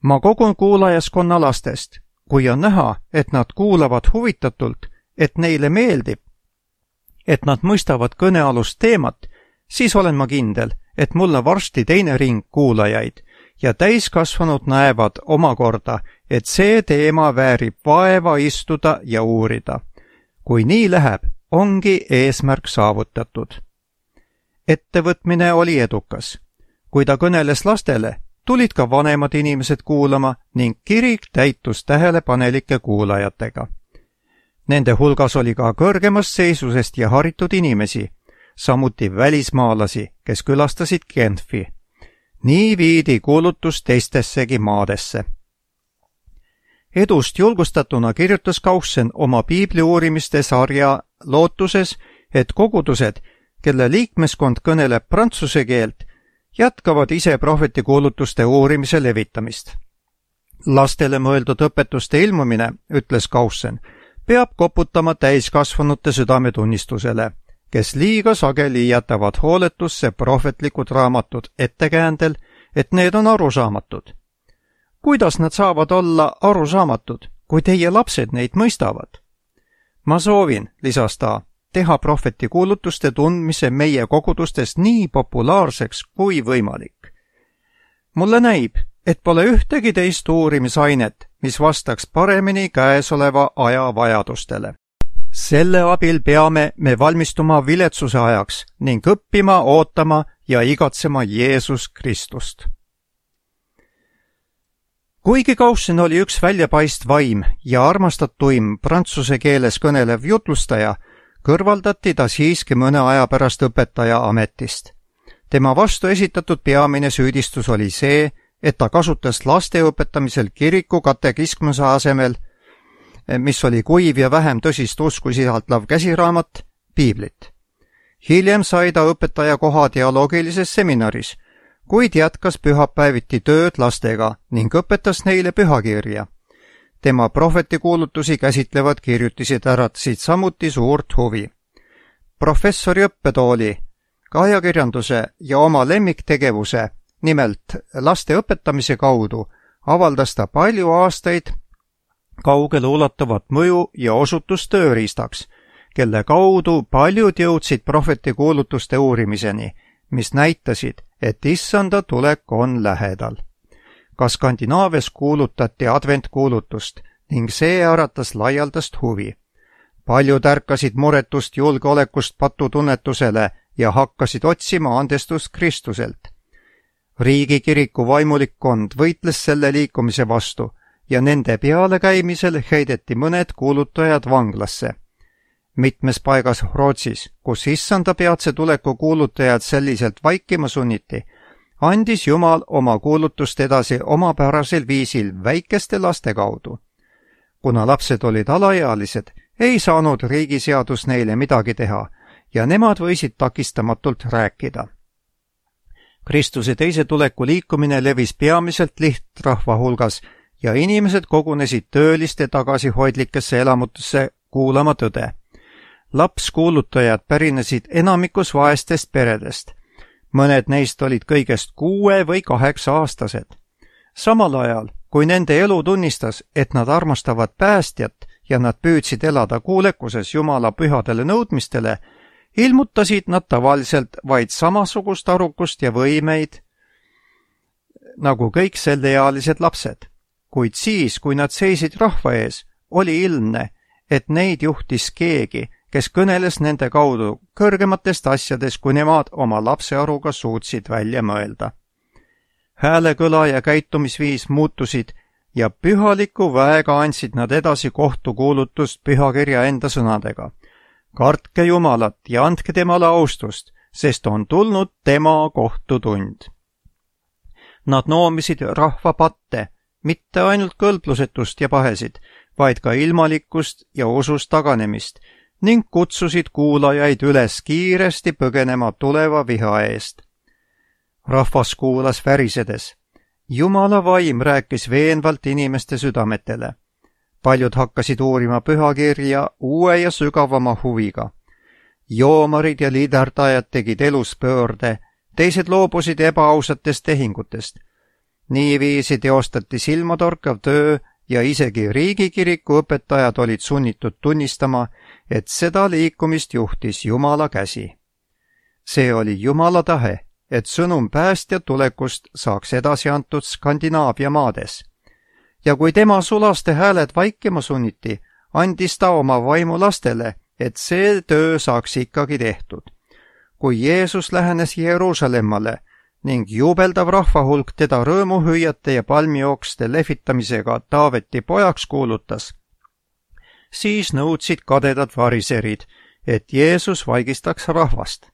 Ma kogun kuulajaskonna lastest, kui on näha, et nad kuulavad huvitatult, et neile meeldib, et nad mõistavad kõnealust teemat, siis olen ma kindel, et mulle varsti teine ring kuulajaid ja täiskasvanud näevad omakorda, et see teema väärib vaeva istuda ja uurida. Kui nii läheb, ongi eesmärk saavutatud. Ettevõtmine oli edukas. Kui ta kõneles lastele, tulid ka vanemad inimesed kuulama ning kirik täitus tähelepanelike kuulajatega. Nende hulgas oli ka kõrgemast seisusest ja haritud inimesi, samuti välismaalasi, kes külastasid Genfi. Nii viidi kuulutus teistessegi maadesse. Edust julgustatuna kirjutas Kaussen oma piibli uurimiste sarja lootuses, et kogudused, kelle liikmeskond kõneleb prantsuse keelt, jätkavad ise prohveti kuulutuste uurimise levitamist. Lastele mõeldud õpetuste ilmumine, ütles Kaussen, peab koputama täiskasvanute südametunnistusele, kes liiga sageli jätavad hooletusse prohvetlikud raamatud ettekäändel, et need on arusaamatud. Kuidas nad saavad olla arusaamatud, kui teie lapsed neid mõistavad? Ma soovin, lisas ta, teha prohveti kuulutuste tundmise meie kogudustes nii populaarseks kui võimalik. Mulle näib, et pole ühtegi teist uurimisainet, mis vastaks paremini käesoleva aja vajadustele. Selle abil peame me valmistuma viletsuse ajaks ning õppima, ootama ja igatsema Jeesus Kristust. Kuigi Kaussen oli üks väljapaist vaim ja armastatuim prantsuse keeles kõnelev jutlustaja, kõrvaldati ta siiski mõne aja pärast õpetaja ametist. Tema vastu esitatud peamine süüdistus oli see, et ta kasutas laste õpetamisel kiriku katekismuse asemel, mis oli kuiv ja vähem tõsist usku sisaldav käsiraamat, piiblit. Hiljem sai ta õpetaja koha teoloogilises seminaris, kuid jätkas pühapäeviti tööd lastega ning õpetas neile pühakirja. Tema prohvetikuulutusi käsitlevad kirjutised äratasid samuti suurt huvi. Professori õppetooli, ajakirjanduse ja oma lemmiktegevuse, nimelt laste õpetamise kaudu, avaldas ta palju aastaid kaugele ulatuvat mõju ja osutus tööriistaks, kelle kaudu paljud jõudsid prohvetikuulutuste uurimiseni, mis näitasid, et issanda tulek on lähedal. Ka Skandinaavias kuulutati adventkuulutust ning see äratas laialdast huvi. Paljud ärkasid muretust julgeolekust patutunnetusele ja hakkasid otsima andestust Kristuselt. Riigikiriku vaimulikkond võitles selle liikumise vastu ja nende pealekäimisel heideti mõned kuulutajad vanglasse. Mitmes paigas Rootsis, kus issanda peatse tuleku kuulutajad selliselt vaikima sunniti, andis Jumal oma kuulutust edasi omapärasel viisil väikeste laste kaudu. Kuna lapsed olid alaealised, ei saanud riigiseadus neile midagi teha ja nemad võisid takistamatult rääkida. Kristuse teise tuleku liikumine levis peamiselt lihtrahva hulgas ja inimesed kogunesid tööliste tagasihoidlikesse elamutesse kuulama tõde. Lapskuulutajad pärinesid enamikus vaestest peredest. Mõned neist olid kõigest kuue või kaheksa aastased. Samal ajal, kui nende elu tunnistas, et nad armastavad päästjat ja nad püüdsid elada kuulekuses Jumala pühadele nõudmistele, ilmutasid nad tavaliselt vaid samasugust arukust ja võimeid nagu kõik selleealised lapsed. Kuid siis, kui nad seisid rahva ees, oli ilmne, et neid juhtis keegi, kes kõneles nende kaudu kõrgematest asjadest, kui nemad oma lapsearuga suutsid välja mõelda. Häälekõla ja käitumisviis muutusid ja pühaliku väega andsid nad edasi kohtukuulutust pühakirja enda sõnadega. Kartke Jumalat ja andke temale austust, sest on tulnud tema kohtutund. Nad noomisid rahva patte, mitte ainult kõlblusetust ja pahesid, vaid ka ilmalikkust ja usust taganemist ning kutsusid kuulajaid üles kiiresti põgenema tuleva viha eest. Rahvas kuulas värisedes. Jumala vaim rääkis veenvalt inimeste südametele. Paljud hakkasid uurima pühakirja uue ja sügavama huviga. Joomarid ja liiderdajad tegid elus pöörde, teised loobusid ebaausatest tehingutest. Niiviisi teostati silmatorkav töö ja isegi riigikiriku õpetajad olid sunnitud tunnistama, et seda liikumist juhtis Jumala käsi. See oli Jumala tahe, et sõnum päästja tulekust saaks edasi antud Skandinaavia maades. Ja kui tema sulaste hääled vaikima sunniti, andis ta oma vaimu lastele, et see töö saaks ikkagi tehtud. Kui Jeesus lähenes Jeruusalemmale ning jubeldav rahvahulk teda rõõmuhüüjate ja palmijookste lehvitamisega Taaveti pojaks kuulutas, siis nõudsid kadedad variserid, et Jeesus vaigistaks rahvast.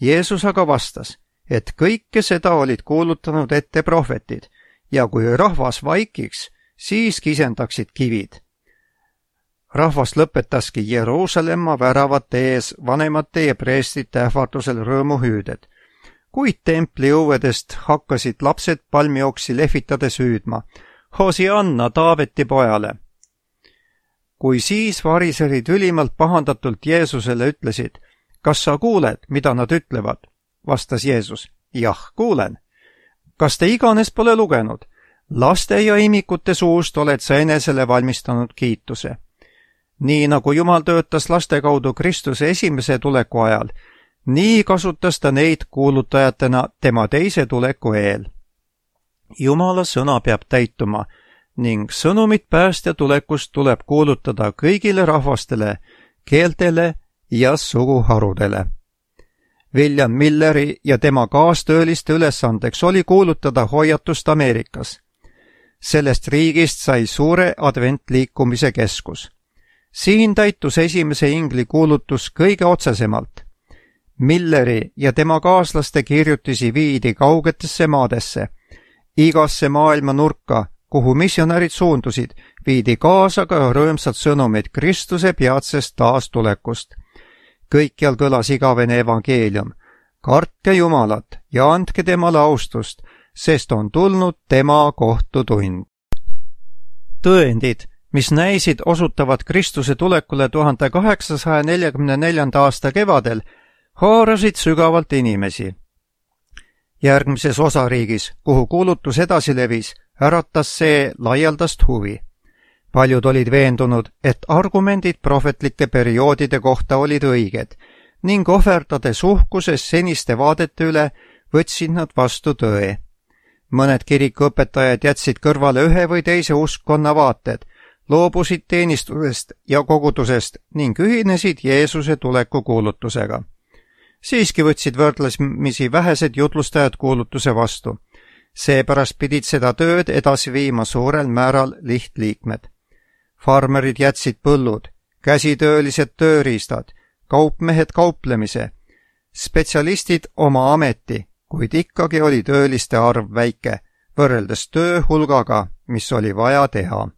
Jeesus aga vastas, et kõike seda olid kuulutanud ette prohvetid ja kui rahvas vaikiks, siis kisendaksid kivid. Rahvas lõpetaski Jeruusalemma väravate ees vanemate ja preestrite ähvardusel rõõmuhüüded, kuid templi õuedest hakkasid lapsed palmijooksi lehvitades hüüdma, Hosianna Taaveti pojale. Kui siis variserid ülimalt pahandatult Jeesusele ütlesid, kas sa kuuled, mida nad ütlevad? Vastas Jeesus, jah, kuulen. Kas te iganes pole lugenud? Laste ja imikute suust oled sa enesele valmistanud kiituse. Nii nagu Jumal töötas laste kaudu Kristuse esimese tuleku ajal, nii kasutas ta neid kuulutajatena tema teise tuleku eel. Jumala sõna peab täituma ning sõnumit päästja tulekust tuleb kuulutada kõigile rahvastele, keeltele ja suguharudele. William Milleri ja tema kaastööliste ülesandeks oli kuulutada hoiatust Ameerikas. Sellest riigist sai suure adventliikumise keskus. Siin täitus esimese ingli kuulutus kõige otsesemalt. Milleri ja tema kaaslaste kirjutisi viidi kaugetesse maadesse. Igasse maailma nurka, kuhu missionärid suundusid, viidi kaasa ka rõõmsad sõnumid Kristuse peatsest taastulekust. Kõikjal kõlas igavene evangeelium. Kartke Jumalat ja andke temale austust, sest on tulnud tema kohtutund. Tõendid, mis näisid osutavat Kristuse tulekule tuhande kaheksasaja neljakümne neljanda aasta kevadel, haarasid sügavalt inimesi. Järgmises osariigis, kuhu kuulutus edasi levis, äratas see laialdast huvi. Paljud olid veendunud, et argumendid prohvetlike perioodide kohta olid õiged ning ohverdades uhkuses seniste vaadete üle võtsid nad vastu tõe. Mõned kirikuõpetajad jätsid kõrvale ühe või teise uskkonna vaated, loobusid teenistusest ja kogudusest ning ühinesid Jeesuse tuleku kuulutusega. Siiski võtsid võrdlemisi vähesed jutlustajad kuulutuse vastu. Seepärast pidid seda tööd edasi viima suurel määral lihtliikmed. Farmerid jätsid põllud, käsitöölised tööriistad, kaupmehed kauplemise, spetsialistid oma ameti, kuid ikkagi oli tööliste arv väike, võrreldes töö hulgaga, mis oli vaja teha.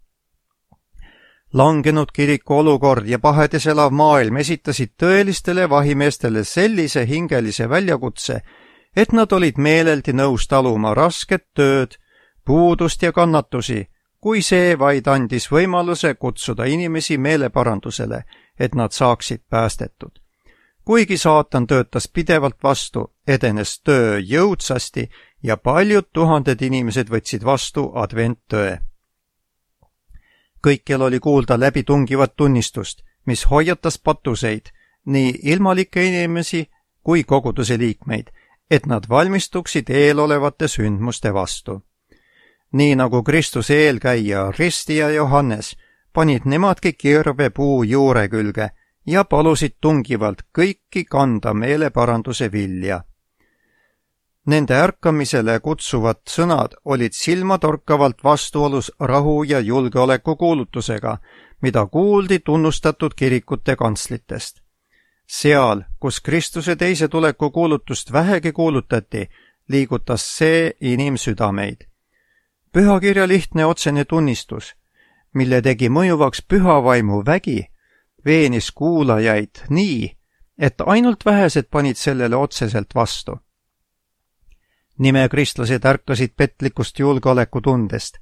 Langenud kiriku olukord ja pahedes elav maailm esitasid tõelistele vahimeestele sellise hingelise väljakutse, et nad olid meeleldi nõus taluma rasket tööd, puudust ja kannatusi, kui see vaid andis võimaluse kutsuda inimesi meeleparandusele, et nad saaksid päästetud. Kuigi saatan töötas pidevalt vastu, edenes töö jõudsasti ja paljud tuhanded inimesed võtsid vastu adventtöö. Kõikjal oli kuulda läbitungivat tunnistust, mis hoiatas patuseid, nii ilmalikke inimesi kui koguduse liikmeid, et nad valmistuksid eelolevate sündmuste vastu. Nii nagu Kristuse eelkäija Ristija Johannes panid nemadki kirve puu juure külge ja palusid tungivalt kõiki kanda meeleparanduse vilja. Nende ärkamisele kutsuvad sõnad olid silmatorkavalt vastuolus rahu ja julgeoleku kuulutusega, mida kuuldi tunnustatud kirikute kantslitest. Seal, kus Kristuse teise tuleku kuulutust vähegi kuulutati, liigutas see inimsüdameid. Pühakirja lihtne otsene tunnistus, mille tegi mõjuvaks pühavaimu vägi, veenis kuulajaid nii, et ainult vähesed panid sellele otseselt vastu. Nimekristlased ärkasid petlikust julgeolekutundest.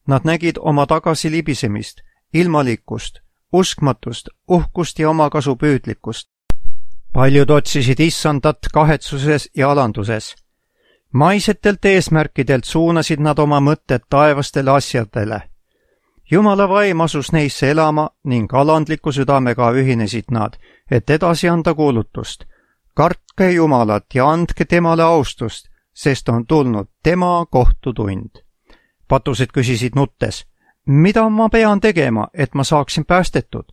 Nad nägid oma tagasilibisemist, ilmalikkust, uskmatust, uhkust ja omakasupüüdlikkust. Paljud otsisid issandat kahetsuses ja alanduses. Maisetelt eesmärkidelt suunasid nad oma mõtted taevastele asjadele. Jumala vaim asus neisse elama ning alandliku südamega ühinesid nad, et edasi anda kuulutust. Kartke Jumalat ja andke temale austust, sest on tulnud tema kohtutund. Patused küsisid nuttes, mida ma pean tegema, et ma saaksin päästetud?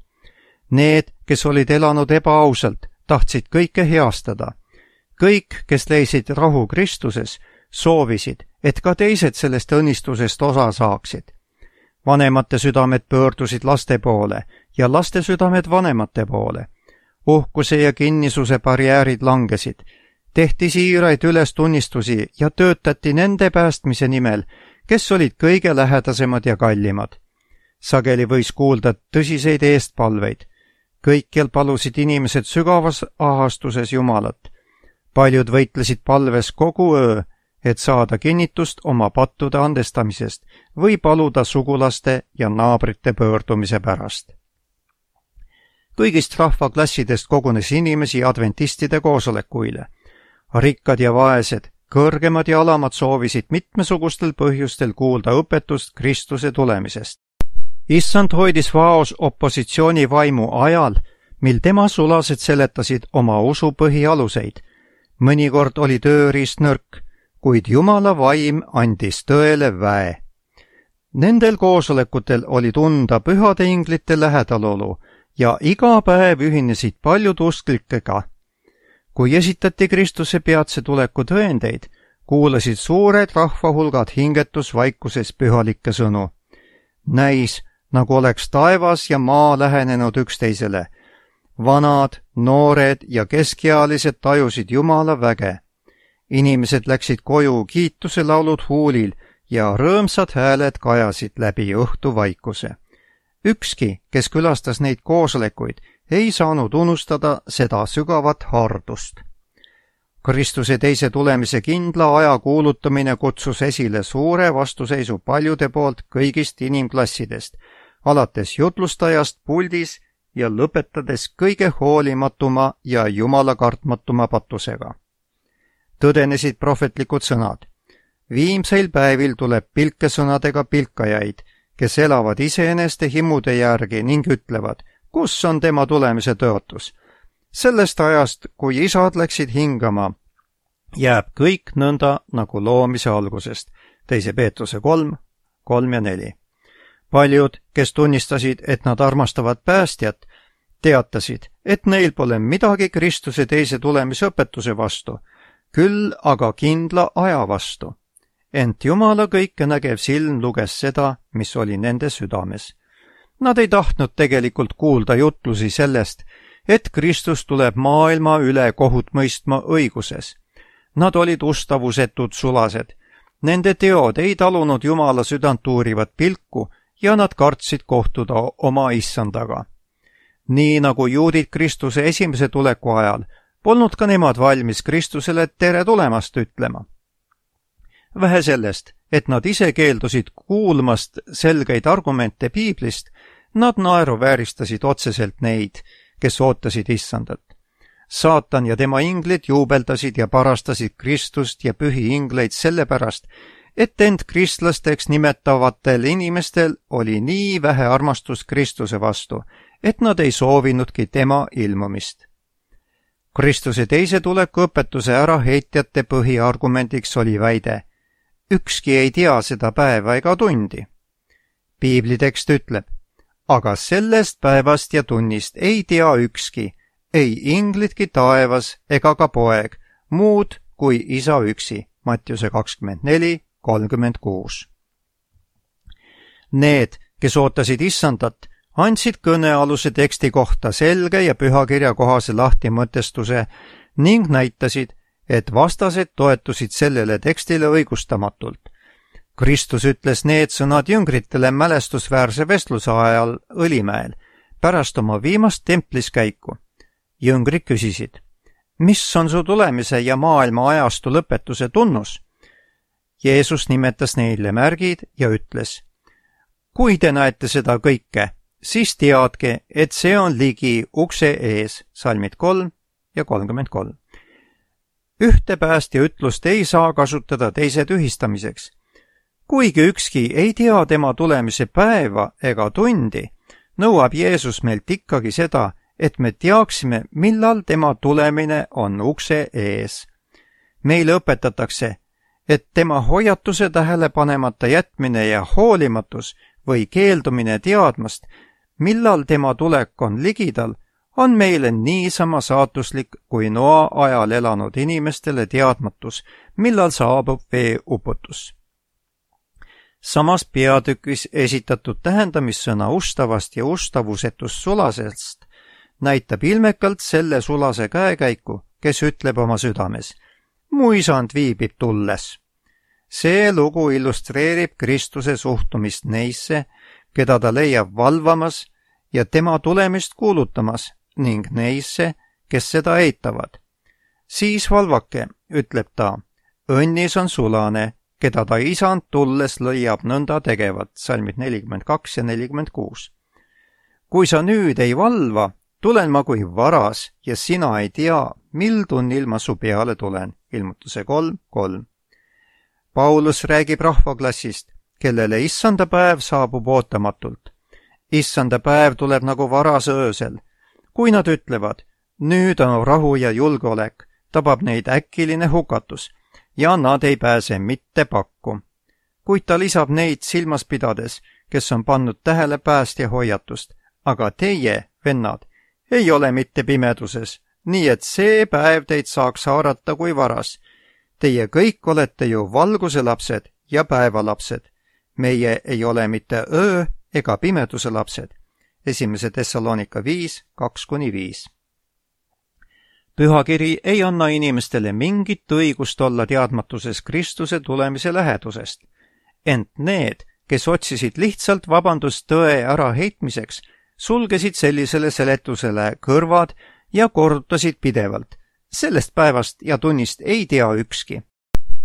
Need, kes olid elanud ebaausalt, tahtsid kõike heastada. Kõik, kes leisid rahu Kristuses, soovisid, et ka teised sellest õnnistusest osa saaksid. Vanemate südamed pöördusid laste poole ja laste südamed vanemate poole. Uhkuse ja kinnisuse barjäärid langesid. Tehti siiraid ülestunnistusi ja töötati nende päästmise nimel, kes olid kõige lähedasemad ja kallimad. Sageli võis kuulda tõsiseid eestpalveid. Kõikjal palusid inimesed sügavas ahastuses Jumalat. Paljud võitlesid palves kogu öö, et saada kinnitust oma pattude andestamisest või paluda sugulaste ja naabrite pöördumise pärast. Kõigist rahvaklassidest kogunes inimesi adventistide koosolekuile. Rikkad ja vaesed, kõrgemad ja alamad soovisid mitmesugustel põhjustel kuulda õpetust Kristuse tulemisest. Issand hoidis vaos opositsiooni vaimu ajal, mil tema sulased seletasid oma usu põhialuseid. Mõnikord oli tööriist nõrk, kuid Jumala vaim andis tõele väe. Nendel koosolekutel oli tunda pühade inglite lähedalolu ja iga päev ühinesid paljud usklikega. Kui esitati Kristuse peatse tuleku tõendeid, kuulasid suured rahvahulgad hingetusvaikuses pühalikke sõnu. Näis, nagu oleks taevas ja maa lähenenud üksteisele. Vanad, noored ja keskealised tajusid Jumala väge. Inimesed läksid koju kiituse laulud huulil ja rõõmsad hääled kajasid läbi õhtuvaikuse. Ükski, kes külastas neid koosolekuid, ei saanud unustada seda sügavat hardust. Kristuse teise tulemise kindla aja kuulutamine kutsus esile suure vastuseisu paljude poolt kõigist inimklassidest, alates jutlustajast puldis ja lõpetades kõige hoolimatuma ja Jumala kartmatuma patusega. Tõdenesid prohvetlikud sõnad. Viimseil päevil tuleb pilkesõnadega pilkajaid, kes elavad iseeneste himude järgi ning ütlevad, kus on tema tulemise tõotus. Sellest ajast, kui isad läksid hingama, jääb kõik nõnda nagu loomise algusest. Teise Peetruse kolm, kolm ja neli. Paljud, kes tunnistasid, et nad armastavad päästjat, teatasid, et neil pole midagi Kristuse teise tulemise õpetuse vastu, küll aga kindla aja vastu. Ent Jumala kõikenägev silm luges seda, mis oli nende südames. Nad ei tahtnud tegelikult kuulda jutlusi sellest, et Kristus tuleb maailma üle kohut mõistma õiguses. Nad olid ustavusetud sulased. Nende teod ei talunud Jumala südant uurivat pilku ja nad kartsid kohtuda oma issandaga. Nii nagu juudid Kristuse esimese tuleku ajal, polnud ka nemad valmis Kristusele tere tulemast ütlema. Vähe sellest, et nad ise keeldusid kuulmast selgeid argumente piiblist, nad naeruvääristasid otseselt neid, kes ootasid issandat. Saatan ja tema inglid juubeldasid ja parastasid Kristust ja pühi ingleid sellepärast, et end kristlasteks nimetavatel inimestel oli nii vähe armastust Kristuse vastu, et nad ei soovinudki tema ilmumist. Kristuse teise tuleku õpetuse äraheitjate põhiargumendiks oli väide: ükski ei tea seda päeva ega tundi. Piiblitekst ütleb: aga sellest päevast ja tunnist ei tea ükski, ei inglidki taevas ega ka poeg, muud kui isa üksi. Mattiuse kakskümmend neli kolmkümmend kuus. Need, kes ootasid issandat, andsid kõnealuse teksti kohta selge ja pühakirja kohase lahtimõtestuse ning näitasid, et vastased toetusid sellele tekstile õigustamatult. Kristus ütles need sõnad jüngritele mälestusväärse vestluse ajal Õlimäel, pärast oma viimast templiskäiku. Jüngrid küsisid: mis on su tulemise ja maailma ajastu lõpetuse tunnus? Jeesus nimetas neile märgid ja ütles: kui te näete seda kõike, siis teadke, et see on ligi ukse ees. Salmid kolm ja kolmkümmend kolm. Ühte päästja ütlust ei saa kasutada teise tühistamiseks. Kuigi ükski ei tea tema tulemise päeva ega tundi, nõuab Jeesus meilt ikkagi seda, et me teaksime, millal tema tulemine on ukse ees. Meile õpetatakse, et tema hoiatuse tähelepanemata jätmine ja hoolimatus või keeldumine teadmast, millal tema tulek on ligidal, on meile niisama saatuslik kui Noa ajal elanud inimestele teadmatus, millal saabub veeuputus. Samas peatükis esitatud tähendamissõna ustavast ja ustavusetust sulasest näitab ilmekalt selle sulase käekäiku, kes ütleb oma südames: mu isand viibib tulles. See lugu illustreerib Kristuse suhtumist neisse, keda ta leiab valvamas ja tema tulemist kuulutamas, ning neisse, kes seda eitavad. Siis valvake, ütleb ta, õnnis on sulane, keda ta isand tulles lõiab nõnda tegevat. Salmid nelikümmend kaks ja nelikümmend kuus. Kui sa nüüd ei valva, tulen ma kui varas ja sina ei tea, mil tunnil ma su peale tulen. Ilmutuse kolm kolm. Paulus räägib rahvaklassist, kellele issanda päev saabub ootamatult. Issanda päev tuleb nagu varase öösel. Kui nad ütlevad, nüüd on rahu ja julgeolek, tabab neid äkiline hukatus ja nad ei pääse mitte pakku. Kuid ta lisab neid silmas pidades, kes on pannud tähele päästja hoiatust. Aga teie, vennad, ei ole mitte pimeduses, nii et see päev teid saaks haarata kui varas. Teie kõik olete ju valguse lapsed ja päevalapsed. Meie ei ole mitte öö ega pimeduse lapsed. Esimese Thessalonika viis kaks kuni viis. Pühakiri ei anna inimestele mingit õigust olla teadmatuses Kristuse tulemise lähedusest. Ent need, kes otsisid lihtsalt vabandust tõe äraheitmiseks, sulgesid sellisele seletusele kõrvad ja korrutasid pidevalt. Sellest päevast ja tunnist ei tea ükski.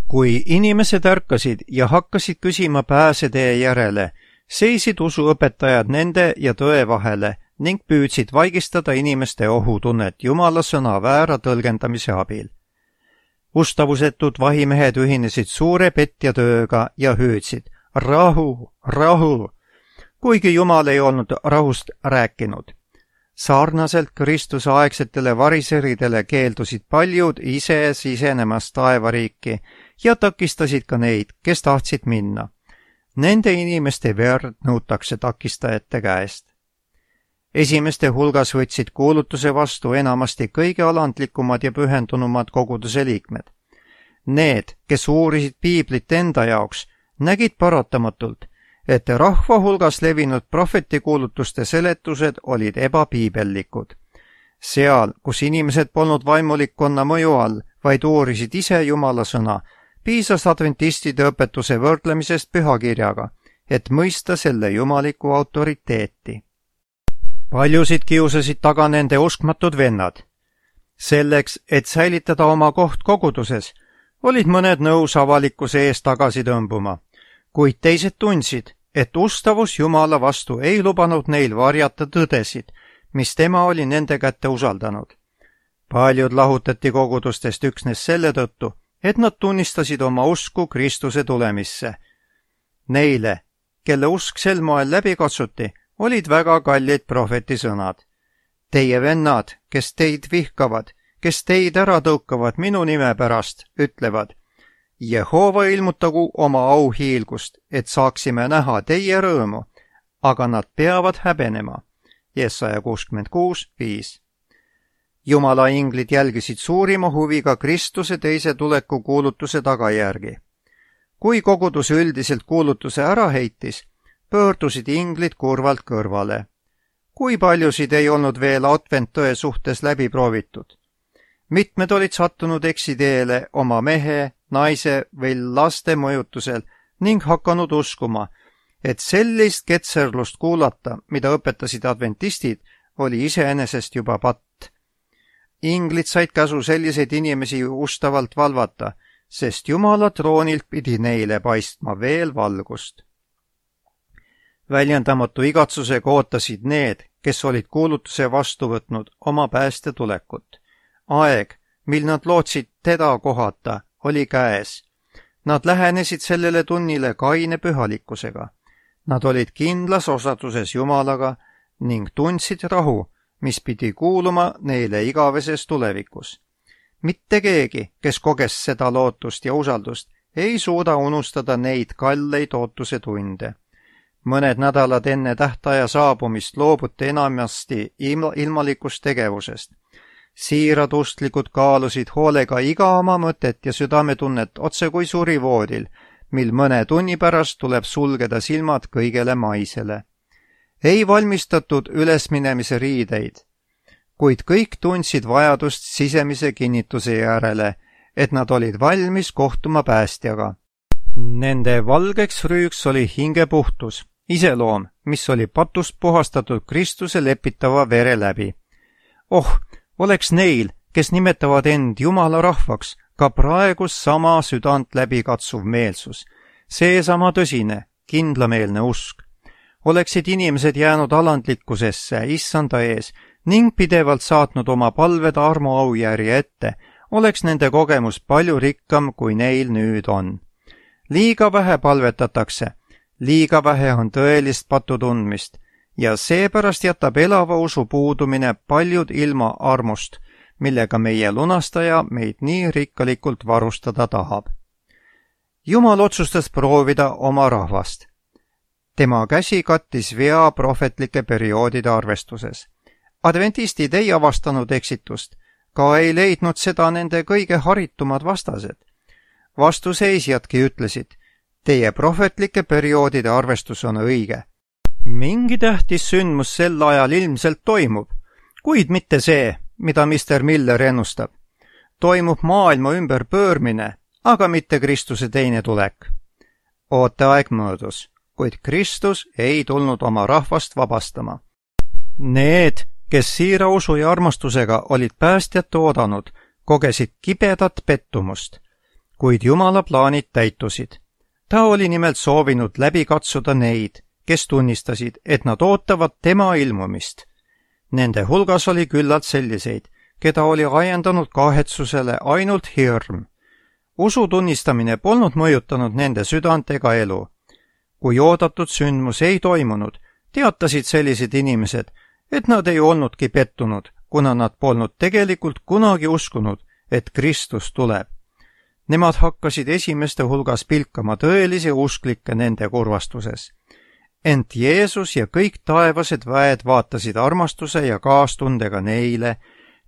Kui inimesed ärkasid ja hakkasid küsima pääsetee järele, seisid usuõpetajad nende ja tõe vahele ning püüdsid vaigistada inimeste ohutunnet Jumala sõna väära tõlgendamise abil. Ustavusetud vahimehed ühinesid suure petja tööga ja hüüdsid: rahu, rahu, kuigi Jumal ei olnud rahust rääkinud. Sarnaselt Kristuse aegsetele variseridele keeldusid paljud ise sisenemast taevariiki ja takistasid ka neid, kes tahtsid minna. Nende inimeste verd nõutakse takistajate käest. Esimeste hulgas võtsid kuulutuse vastu enamasti kõige alandlikumad ja pühendunumad koguduse liikmed. Need, kes uurisid piiblit enda jaoks, nägid paratamatult, et rahva hulgas levinud prohvetikuulutuste seletused olid ebapiibellikud. Seal, kus inimesed polnud vaimulikkonna mõju all, vaid uurisid ise Jumala sõna, piisas adventistide õpetuse võrdlemisest pühakirjaga, et mõista selle jumaliku autoriteeti. Paljusid kiusasid taga nende uskmatud vennad. selleks, et säilitada oma koht koguduses, olid mõned nõus avalikkuse eest tagasi tõmbuma, kuid teised tundsid, et ustavus Jumala vastu ei lubanud neil varjata tõdesid, mis tema oli nende kätte usaldanud. Paljud lahutati kogudustest üksnes selle tõttu, et nad tunnistasid oma usku Kristuse tulemisse. Neile, kelle usk sel moel läbi katsuti, olid väga kallid prohveti sõnad. Teie vennad, kes teid vihkavad, kes teid ära tõukavad minu nime pärast, ütlevad, Jehova ilmutagu oma auhiilgust, et saaksime näha teie rõõmu, aga nad peavad häbenema. Jesaja kuuskümmend kuus viis. Jumala inglid jälgisid suurima huviga Kristuse teise tuleku kuulutuse tagajärgi. Kui kogudus üldiselt kuulutuse ära heitis, pöördusid inglid kurvalt kõrvale. Kui paljusid ei olnud veel adventtõe suhtes läbi proovitud? Mitmed olid sattunud eksiteele oma mehe, naise või laste mõjutusel ning hakanud uskuma, et sellist ketserlust kuulata, mida õpetasid adventistid, oli iseenesest juba patt. Inglid said käsu selliseid inimesi ustavalt valvata, sest Jumala troonilt pidi neile paistma veel valgust. Väljendamatu igatsusega ootasid need, kes olid kuulutuse vastu võtnud oma pääste tulekut. Aeg, mil nad lootsid teda kohata, oli käes. Nad lähenesid sellele tunnile kaine pühalikkusega. Nad olid kindlas osaduses Jumalaga ning tundsid rahu, mis pidi kuuluma neile igaveses tulevikus. Mitte keegi, kes koges seda lootust ja usaldust, ei suuda unustada neid kalleid ootuse tunde. Mõned nädalad enne tähtaja saabumist loobuti enamasti ilmalikust tegevusest. Siirad ustlikud kaalusid hoolega iga oma mõtet ja südametunnet otse kui surivoodil, mil mõne tunni pärast tuleb sulgeda silmad kõigele maisele. Ei valmistatud ülesminemise riideid, kuid kõik tundsid vajadust sisemise kinnituse järele, et nad olid valmis kohtuma päästjaga. Nende valgeks rüüks oli hingepuhtus, iseloom, mis oli patust puhastatud Kristuse lepitava vere läbi. Oh, oleks neil, kes nimetavad end Jumala rahvaks, ka praegu sama südant läbi katsuv meelsus, seesama tõsine, kindlameelne usk. Oleksid inimesed jäänud alandlikkusesse issanda ees ning pidevalt saatnud oma palved armu aujärje ette, oleks nende kogemus palju rikkam, kui neil nüüd on. Liiga vähe palvetatakse, liiga vähe on tõelist patutundmist ja seepärast jätab elava usu puudumine paljud ilma armust, millega meie lunastaja meid nii rikkalikult varustada tahab. Jumal otsustas proovida oma rahvast. Tema käsi kattis vea prohvetlike perioodide arvestuses. Adventistid ei avastanud eksitust, ka ei leidnud seda nende kõige haritumad vastased. Vastuseisjadki ütlesid, teie prohvetlike perioodide arvestus on õige. Mingi tähtis sündmus sel ajal ilmselt toimub, kuid mitte see, mida mister Miller ennustab. Toimub maailma ümber pöörmine, aga mitte Kristuse teine tulek. Ooteaeg möödus, kuid Kristus ei tulnud oma rahvast vabastama. Need, kes siira usu ja armastusega olid päästjat oodanud, kogesid kibedat pettumust, kuid Jumala plaanid täitusid. Ta oli nimelt soovinud läbi katsuda neid, kes tunnistasid, et nad ootavad tema ilmumist. Nende hulgas oli küllalt selliseid, keda oli ajendanud kahetsusele ainult hirm. Usu tunnistamine polnud mõjutanud nende südant ega elu. Kui oodatud sündmus ei toimunud, teatasid sellised inimesed, et nad ei olnudki pettunud, kuna nad polnud tegelikult kunagi uskunud, et Kristus tuleb. Nemad hakkasid esimeste hulgas pilkama tõelisi usklikke nende kurvastuses. Ent Jeesus ja kõik taevased väed vaatasid armastuse ja kaastundega neile,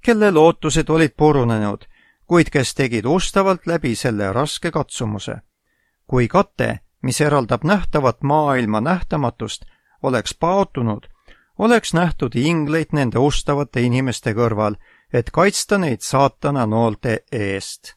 kelle lootused olid purunenud, kuid kes tegid ustavalt läbi selle raske katsumuse. Kui kate, mis eraldab nähtavat maailma nähtamatust, oleks paotunud, oleks nähtud ingleid nende ustavate inimeste kõrval, et kaitsta neid saatana noolte eest.